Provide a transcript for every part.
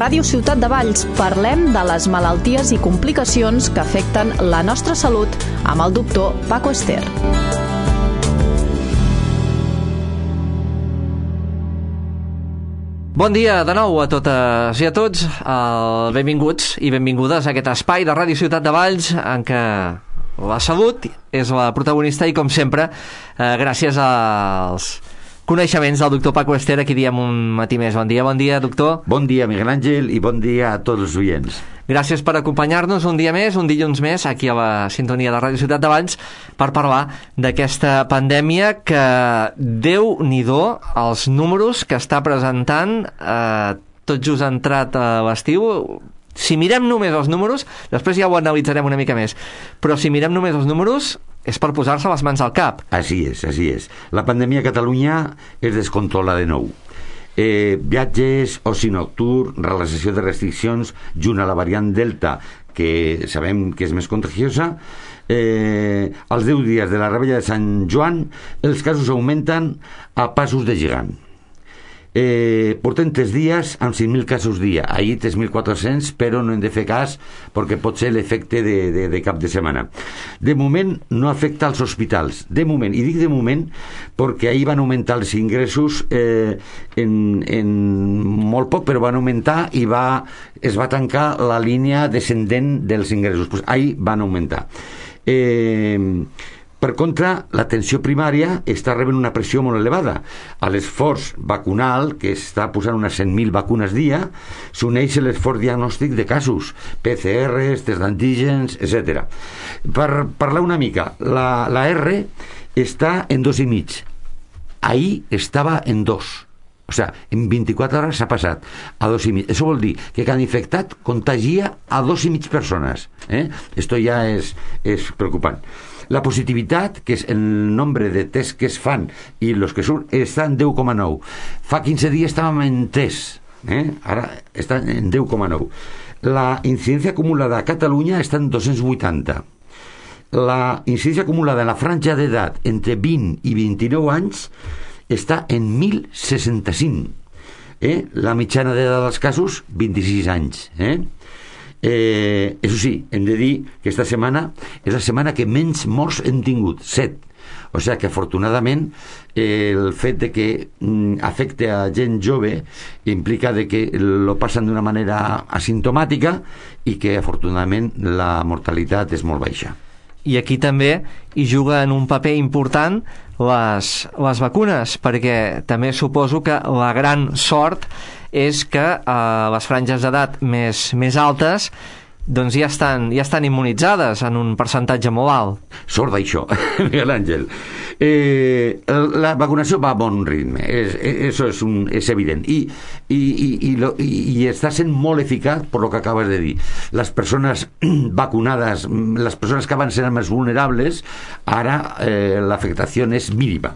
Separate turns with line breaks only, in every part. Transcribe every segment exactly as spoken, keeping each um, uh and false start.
Ràdio Ciutat de Valls parlem de les malalties i complicacions que afecten la nostra salut amb el doctor Paco Ester.
Bon dia de nou a totes i a tots, uh, benvinguts i benvingudes a aquest espai de Ràdio Ciutat de Valls en què la salut és la protagonista i, com sempre, uh, gràcies als coneixements del doctor Paco Ester, aquí diem un matí més. Bon dia, bon dia, doctor.
Bon dia, Miguel Àngel, i bon dia a tots els oients.
Gràcies per acompanyar-nos un dia més, un dilluns més, aquí a la sintonia de Ràdio Ciutat de Valls, per parlar d'aquesta pandèmia que, Déu-n'hi-do, els números que està presentant, eh, tot just entrat a l'estiu. Si mirem només els números, després ja ho analitzarem una mica més, però si mirem només els números, és per posar-se les mans al cap.
Així és, així és. La pandèmia a Catalunya es descontrola de nou. Eh, viatges, oci nocturn, relaxació de restriccions, junt a la variant Delta, que sabem que és més contagiosa. Eh, als deu dies de la rebella de Sant Joan, els casos augmenten a passos de gegant. Eh, portem tres dies amb cinc mil casos dia, ahir tres mil quatre-cents, però no hem de fer cas perquè pot ser l'efecte de, de, de cap de setmana. De moment no afecta als hospitals, de moment, i dic de moment perquè ahir van augmentar els ingressos eh, en, en molt poc, però van augmentar i va, es va tancar la línia descendent dels ingressos. Pues ahir van augmentar. eh, Per contra, l'atenció primària està rebent una pressió molt elevada. A l'esforç vacunal, que està posant unes cent mil vacunes dia, s'uneix l'esforç diagnòstic de casos, P C Rs, tests d'antígens, etcètera. Per parlar una mica, la, la R està en dos i mig. Ahir estava en dos. O sigui, en vint-i-quatre hores s'ha passat a dos i mig. Això vol dir que cada infectat contagia a dos i mig persones. Eh? Esto ja és, és preocupant. La positivitat, que és el nombre de tests que es fan i els que surten, està en deu coma nou. Fa quinze dies estàvem en tres, eh? Ara està en deu coma nou. La incidència acumulada a Catalunya està en dos-cents vuitanta. La incidència acumulada en la franja d'edat entre vint i vint-i-nou anys està en mil seixanta-cinc. Eh? La mitjana d'edat dels casos, vint-i-sis anys. Eh? Eh, això sí, hem de dir que aquesta setmana és la setmana que menys morts hem tingut, set. O sigui que afortunadament eh, el fet de que mm, afecte a gent jove implica de que lo passen d'una manera asimptomàtica i que afortunadament la mortalitat és molt baixa.
I aquí també hi juguen un paper important les, les vacunes, perquè també suposo que la gran sort és que eh, les franges d'edat més, més altes doncs ja estan, ja estan immunitzades en un percentatge molt alt.
Sort d'això, Miguel Àngel. Eh, la vacunació va a bon ritme, és, això és, un, és evident, i, i, i, i, lo, i, i està sent molt eficaç per lo que acabes de dir. Les persones vacunades, les persones que abans eren més vulnerables, ara eh, l'afectació és mínima.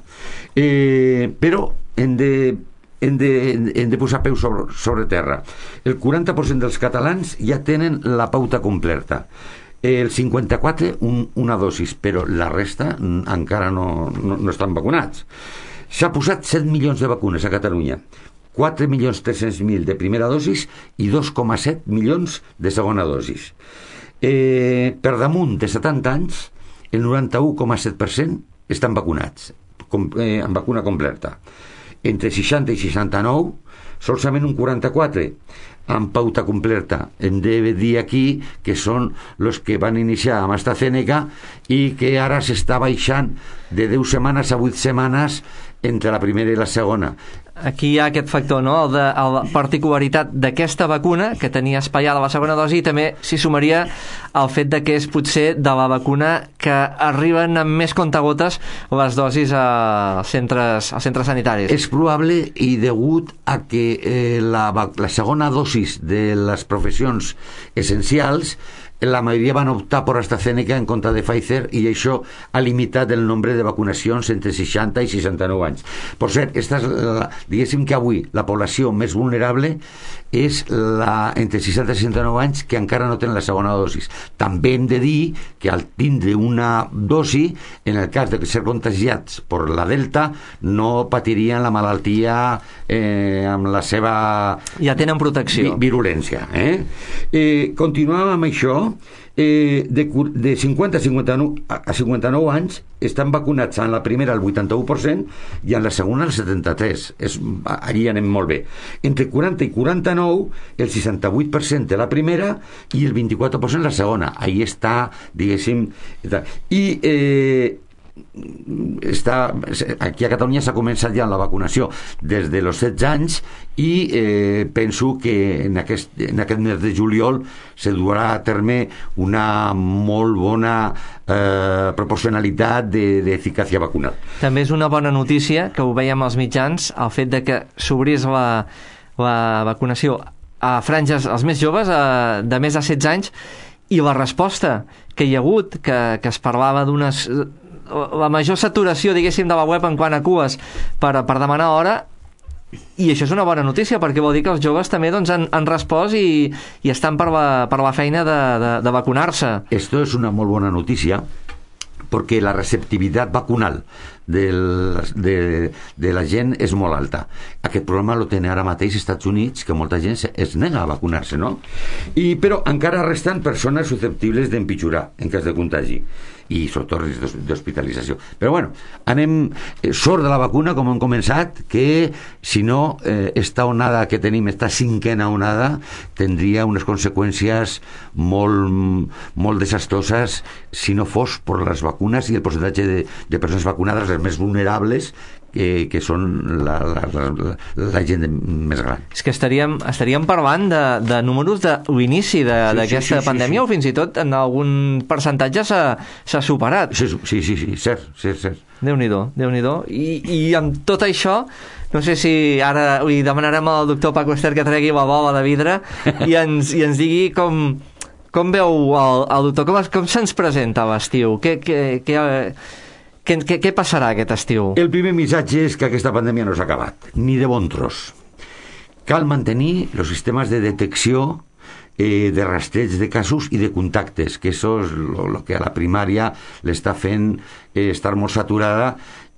Eh, però hem de Hem de, hem de posar peus sobre, sobre terra. El quaranta per cent dels catalans ja tenen la pauta completa. El cinquanta-quatre un, una dosis, però la resta encara no, no, no estan vacunats. S'ha posat set milions de vacunes a Catalunya, quatre milions tres-cents mil de primera dosis i dos coma set milions de segona dosis. Eh, per damunt de setanta anys, el noranta-u coma set per cent estan vacunats, com, eh, amb vacuna completa. Entre seixanta i seixanta-nou, solament un quaranta-quatre amb pauta completa. Hem de dir aquí que són els que van iniciar amb AstraZeneca i que ara s'està baixant de deu setmanes a vuit setmanes entre la primera i la segona.
Aquí hi ha aquest factor, no?, el de, el, la particularitat d'aquesta vacuna, que tenia espaiada la segona dosi, i també s'hi sumaria el fet de que és potser de la vacuna que arriben amb més comptagotes les dosis als centres, als centres sanitaris.
És probable, i degut a que eh, la, la segona dosis de les professions essencials la majoria van optar per AstraZeneca en compte de Pfizer, i això ha limitat el nombre de vacunacions entre seixanta i seixanta-nou anys. Per cert, esta és la, diguéssim que avui la població més vulnerable és la entre seixanta i seixanta-nou anys que encara no tenen la segona dosis. També hem de dir que al tindre una dosi, en el cas de ser contagiats per la Delta, no patirien la malaltia eh, amb la seva...
Ja tenen protecció.
Vi virulència. Eh? Eh, continuem amb això. Eh, de, de cinquanta a cinquanta-nou, a cinquanta-nou anys estan vacunats en la primera el vuitanta-u per cent i en la segona el setanta-tres per cent. És, allí anem molt bé. Entre quaranta i quaranta-nou el seixanta-vuit per cent de la primera i el vint-i-quatre per cent la segona. Ahí està, diguéssim, i eh, està, aquí a Catalunya s'ha començat ja la vacunació des de los setze anys i eh, penso que en aquest, en aquest mes de juliol se durà a terme una molt bona eh, proporcionalitat d'eficàcia vacunal.
També és una bona notícia, que ho veiem als mitjans, el fet de que s'obrís la, la vacunació a franges als més joves, a, de més de setze anys, i la resposta que hi ha hagut, que, que es parlava d'unes... la major saturació, diguéssim, de la web en quant a cues per, per demanar hora, i això és una bona notícia perquè vol dir que els joves també doncs, han, han respost i, i estan per la, per la feina de, de, de vacunar-se.
Esto és una molt bona notícia perquè la receptivitat vacunal del, de, de la gent és molt alta. Aquest problema lo tenen ara mateix als Estats Units, que molta gent es nega a vacunar-se, no? I, però encara resten persones susceptibles d'empitjorar en cas de contagi i sobretot risc d'hospitalització. Però bueno, anem eh, sort de la vacuna, com hem començat, que si no, eh, esta onada que tenim, esta cinquena onada, tindria unes conseqüències molt, molt desastroses si no fos per les vacunes i el percentatge de, de persones vacunades, les més vulnerables, que, que són la, la, la, la gent més gran.
És que estaríem, estaríem parlant de, de números de l'inici d'aquesta sí, sí, sí, pandèmia, sí, sí. O fins i tot en algun percentatge s'ha superat.
Sí, sí, sí, sí, cert, cert, cert.
Déu-n'hi-do, Déu-n'hi-do. I, I amb tot això, no sé si ara li demanarem al doctor Paco Ester que tregui la bola de vidre i ens, i ens digui com, com veu el, el doctor, com, com se'ns presenta l'estiu, què... què, què Què, què, què passarà aquest estiu?
El primer missatge és que aquesta pandèmia no s'ha acabat, ni de bon tros. Cal mantenir els sistemes de detecció, eh, de rastreig de casos i de contactes, que això és el que a la primària l'està fent eh, estar molt saturada,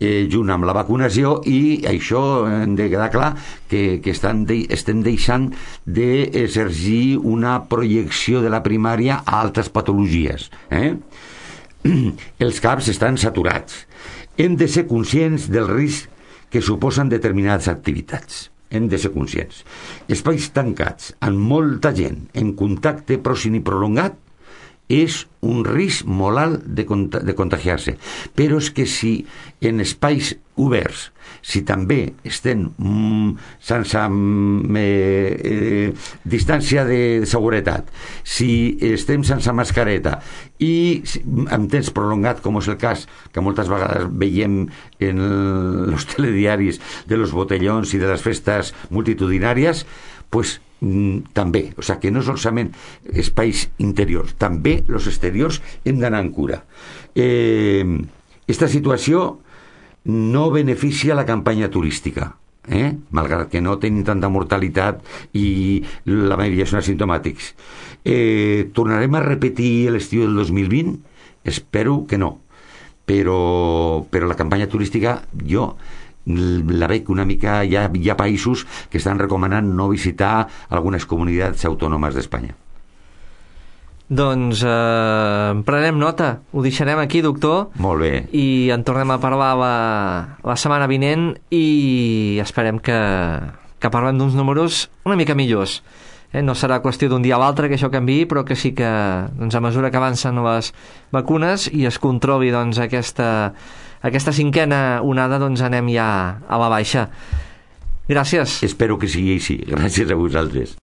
eh, junt amb la vacunació, i això hem de quedar clar que, que estan de, estem deixant d'exercir una projecció de la primària a altres patologies. Eh? Els caps estan saturats. Hem de ser conscients del risc que suposen determinades activitats. Hem de ser conscients. Espais tancats, amb molta gent, en contacte pròxim i prolongat, és un risc molt alt de, cont de contagiar-se. Però és que si en espais oberts, si també estem mm, sense mm, eh, eh, distància de seguretat, si estem sense mascareta i si, amb temps prolongat, com és el cas que moltes vegades veiem en els telediaris de los botellons i de les festes multitudinàries, pues mm, també, o sigui que no solament espais interiors, també els exteriors hem d'anar en cura. Eh, esta situació no beneficia la campanya turística, eh? Malgrat que no tenen tanta mortalitat i la majoria són asimptomàtics. Eh, tornarem a repetir l'estiu del dos mil vint? Espero que no, però, però la campanya turística jo la veig una mica, hi ha, hi ha països que estan recomanant no visitar algunes comunitats autònomes d'Espanya.
Doncs eh, prenem nota, ho deixarem aquí, doctor.
Molt bé.
I en tornem a parlar la, la setmana vinent i esperem que, que parlem d'uns números una mica millors. Eh, no serà qüestió d'un dia a l'altre que això canviï, però que sí que doncs, a mesura que avancen les vacunes i es controli doncs, aquesta, aquesta cinquena onada, doncs anem ja a la baixa. Gràcies.
Espero que sigui així. Gràcies a vosaltres.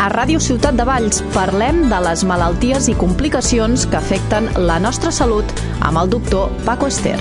A Ràdio Ciutat de Valls parlem de les malalties i complicacions que afecten la nostra salut amb el doctor Paco Ester.